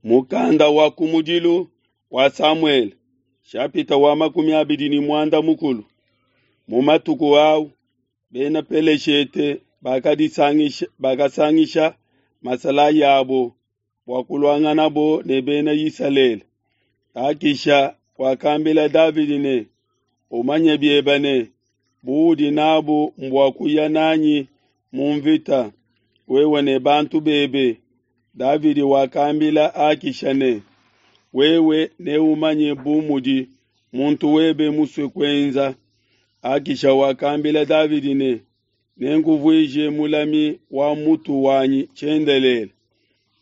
Mukanda wa kumudilu wa Samuele, shapita wa 25. Mu matuku au bena Peleshete bakadisangisha bakasangisha masalayi abo bua kuluanganabo ne bena Isalele. Akisha wakambila Davidi ne, umanye biebe ne, buudi nabu mbua kuya nanyi mu mvita, wewe ne bantu bebe. Davidi wakambila Akisha ne, wewe neumanye bu mudi muntu webe musue kuenza. Akisha wakambila Davidi ne, nenkuvuije mulami wa mutu wanyi tshiendelele.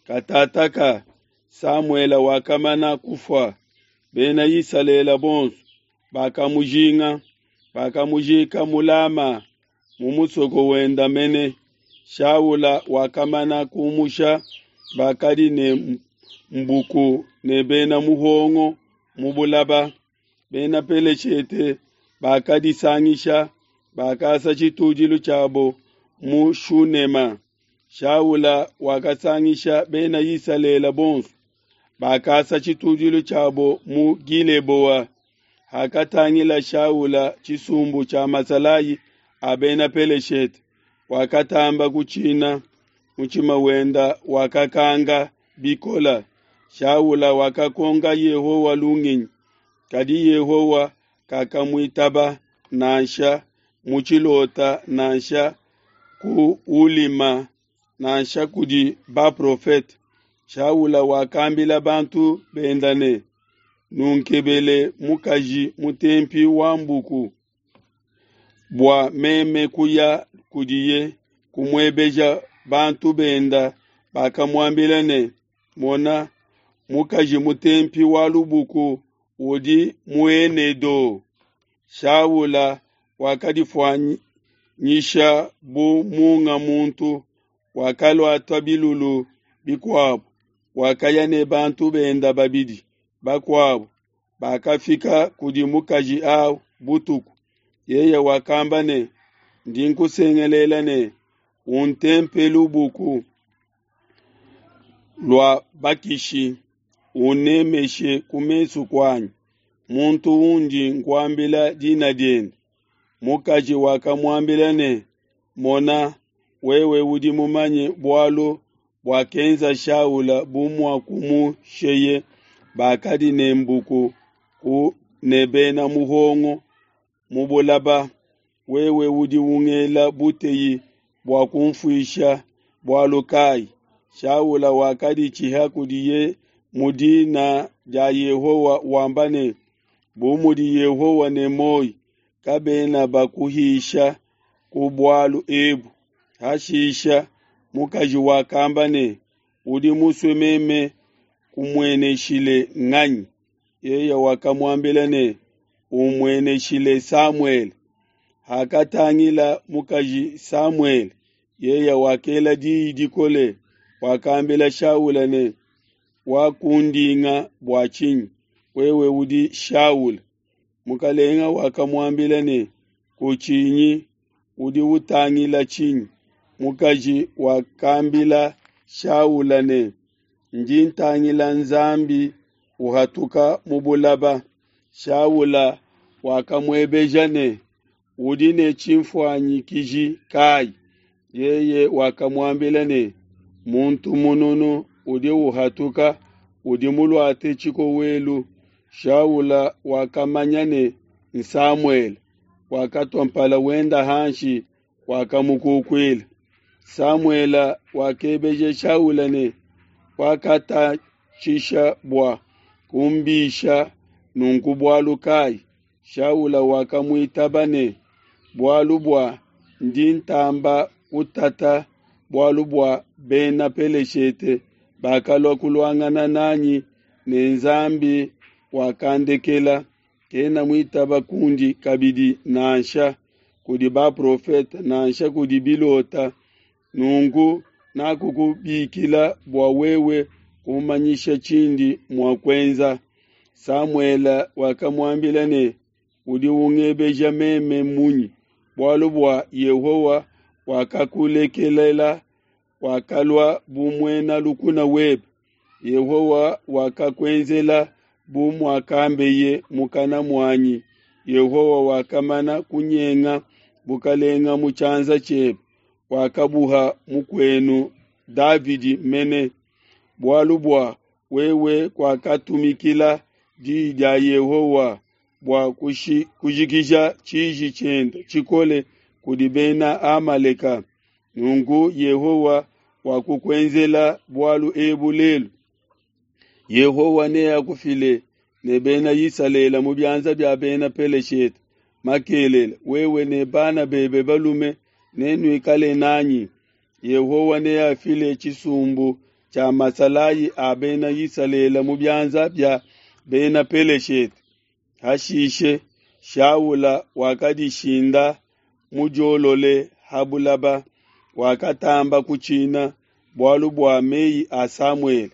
Katataka Samuele wakamana kufua, bena Isalele bonso bakamujinga, bakamujika mu Lama mu musoko wenda mene. Shaula wakamana kumusha bakadi ne mbuku ne bena muhongo mu bulaba. Bena Peleshete bakadisangisha, bakasa tshitudilu tshiabo mu Shunema. Shaula wakasangisha bena Isalele bonso, bakasa tshitudilu tshiabo mu Gileboa. Hakatangila Shaula tshisumbu tshia masalayi a bena Peleshete, wakatamba kutshina, mutshima wenda wakakanga bikola. Shaula wakakonka Yehowa lungenyi, kadi Yehowa kakamuitaba nansha mu tshilota nansha ku ulima nansha kudi baprofete. Shaula wakambila bantu benda ne, nunkebele mukaji mutempi wa mbuku bua meme kuya kudiye kumuebeja. Bantu benda bakamuambila ne, mona, mukaji mutempi wa lubuku udi mu Enedo. Shaula wakadifuanyisha bu munga muntu, wakaluata bilulu bikuabo, wakaya ne bantu benda babidi bakuabo. Bakafika kudi mukaji au butuku. Yeye wakamba ne, ndi nkusengelela ne, untempe lubuku lua bakishi, unemeshe ku mesu kuanyi muntu undi nkuambila dina diende. Mukaji wakamuambila ne, mona, wewe udi mumanye bualu buakenza Shaula bu muakumusheye bakadi ne mbuku ku ne bena muhongo mu bulaba. Wewe udi ungela buteyi bua kumfuisha bualu kai? Shaula wakaditshiha kudiye mu dina dia Yehowa wamba ne, bu mudi Yehowa ne muoyo, kabena bakuhisha ku bualu ebu. Hashisha mukaji wakamba ne, udi musue meme kumueneshile nganyi? Yeye wakamuambila ne, umueneshile Samuele. Hakatangila mukaji Samuele, yeye wakela diyi dikole, wakambila Shaula ne, wakundinga bua tshinyi? Wewe udi Shaula. Mukalenga wakamuambila ne, kutshinyi, udi utangila tshinyi? Mukaji wakambila Shaula ne, ndi ntangila Nzambi uhatuka mu bulaba. Shaula wakamuebeja ne, udi ne tshinfuanyikiji kai? Yeye wakamuambila ne, muntu mununu udi uhatuka, udi muluate tshikowelu. Shaula wakamanya ne Samuele, wakatua mpala wenda hanshi, wakamukukuila. Samuele wakebeja Shaula ne, wakatatshisha bua kumbisha nunku bualu kai? Shaula wakamuitaba ne, bualu bua ndi ntamba kutata bualu bua bena Peleshete bakalua kuluangana nanyi, ne Nzambi wakandekela, kena muitaba kundi kabidi nansha kudi baprofete nansha kudi bilota. Nunku nakukubikila bua wewe kumanyisha tshindi mua kuenza. Samuele wakamuambila ne, udi ungebeja meme munyi? Bualu bua Yehowa wakakulekelela, wakalua bu muena lukuna webe. Yehowa wakakuenzela bu muakambeye mukana muanyi. Yehowa wakamana kunyenga bukalenga mu tshianza tshiebe, wakabuha mukuenu Davidi mene. Bualu bua wewe kuakatumikila diyi dia Yehowa bua kujikija tshiji tshiende tshikole kudi bena Amaleka. Nunku Yehowa wakukuenzela bualu ebu lelu. Yehowa neakufile ne bena Isalele mu bianza bia bena Peleshete makelela, wewe ne bana bebe balume nenuikale nanyi. Yehowa neafile tshisumbu tshia masalayi a bena Isalele mu bianza bia bena Peleshete. Hashishe Shaula wakadishinda mudiolole ha bulaba, wakatamba kutshina bualu bua meyi a Samuele.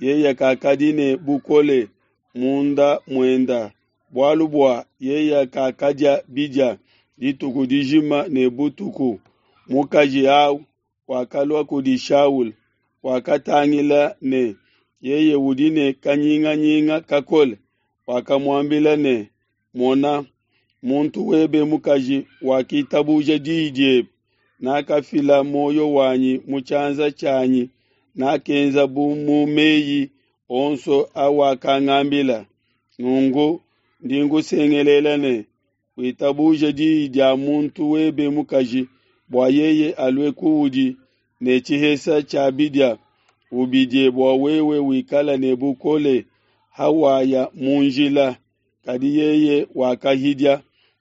Yeye kakadi ne bukole munda muenda, bualu bua yeye kakadia bidia dituku dijima ne butuku. Mukaji au wakalua kudi Shaula, wakatangila ne yeye udi ne kanyinganyinga kakole. Wakamuambila ne, Mona, muntu webe mukaji wakitabuja diyi diebe, nakafila muoyo wanyi mu tshianza tshianyi, nakenza bu mu meyi onso awakangambila. Nunku ndi nkusengelela ne, witabuje diyi dia muntu webe mukaji, bua yeye alue kuudi ne tshihesa tshia bidia, ubidie bua wewe wikale ne bukole hawaya mu njila. Kadi yeye wakahidia,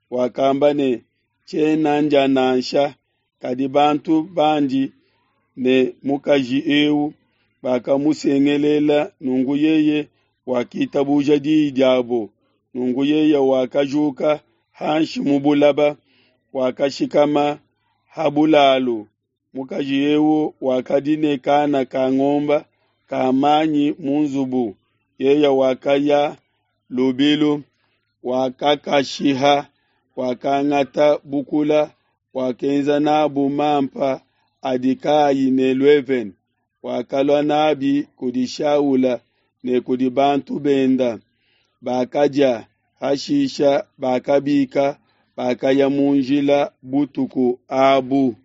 wakamba ne, Tshiena ndia nansha. Kadi bantu bandi ne mukaji eu bakamusengelela, nunku yeye wakitabuja diyi diabo. Nunku yeye wakajuka hanshi mu bulaba, wakashikama ha bulalu. Mukaji eu wakadi ne kana ka ngomba ka manyi mu nzubu. Yeye wakaya lubilu, wakakashiha, wakangata bukula, wakenza nabu mampa adi kaayi ne luevene, wakalua nabi kudi Shaula ne kudi bantu benda. Bakadia, hashisha bakabika, bakaya mu njila butuku abu.